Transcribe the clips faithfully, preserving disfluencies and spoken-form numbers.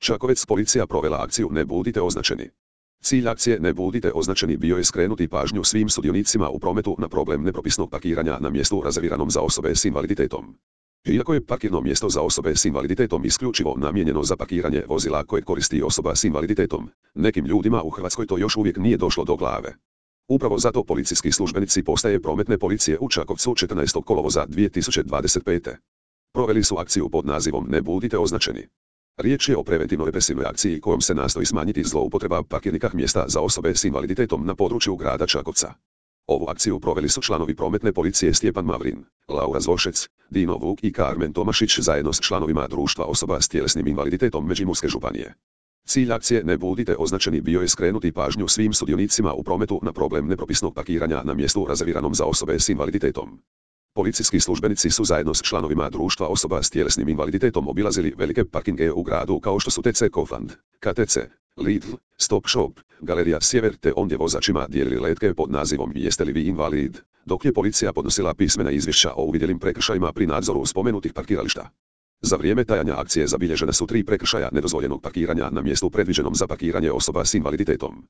Čakovec policija provela akciju Ne budite označeni. Cilj akcije Ne budite označeni bio je skrenuti pažnju svim sudionicima u prometu na problem nepropisnog parkiranja na mjestu rezerviranom za osobe s invaliditetom. Iako je parkirno mjesto za osobe s invaliditetom isključivo namijenjeno za parkiranje vozila koje koristi osoba s invaliditetom, nekim ljudima u Hrvatskoj to još uvijek nije došlo do glave. Upravo zato policijski službenici postaje prometne policije u Čakovcu četrnaestog kolovoza dvije tisuće dvadeset pete. proveli su akciju pod nazivom Ne budite označeni. Riječ je o preventivno-represivnoj akciji kojom se nastoji smanjiti zloupotreba parkirnih mjesta za osobe s invaliditetom na području grada Čakovca. Ovu akciju proveli su članovi prometne policije Stjepan Mavrin, Laura Zvošec, Dino Vuk i Karmen Tomašić zajedno s članovima društva osoba s tjelesnim invaliditetom Međimurske županije. Cilj akcije Ne budite označeni bio je skrenuti pažnju svim sudionicima u prometu na problem nepropisnog parkiranja na mjestu rezerviranom za osobe s invaliditetom. Policijski službenici su zajedno s članovima društva osoba s tjelesnim invaliditetom obilazili velike parkinge u gradu kao što su T C Kaufland, K T C, Lidl, Stop Shop, Galerija Sjever te ondje vozačima dijelili letke pod nazivom Jeste li vi invalid, dok je policija podnosila pismena izvješća o uvidjelim prekršajima pri nadzoru spomenutih parkirališta. Za vrijeme trajanja akcije zabilježena su tri prekršaja nedozvoljenog parkiranja na mjestu predviđenom za parkiranje osoba s invaliditetom.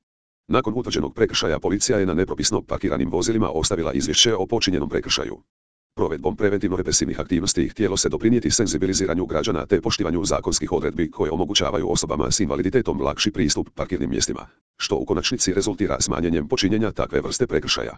Nakon utvrđenog prekršaja policija je na nepropisno parkiranim vozilima ostavila izvješće o počinjenom prekršaju. Provedbom preventivno-represivnih aktivnosti htjelo se doprinijeti senzibiliziranju građana te poštivanju zakonskih odredbi koje omogućavaju osobama s invaliditetom lakši pristup parkirnim mjestima, što u konačnici rezultira smanjenjem počinjenja takve vrste prekršaja.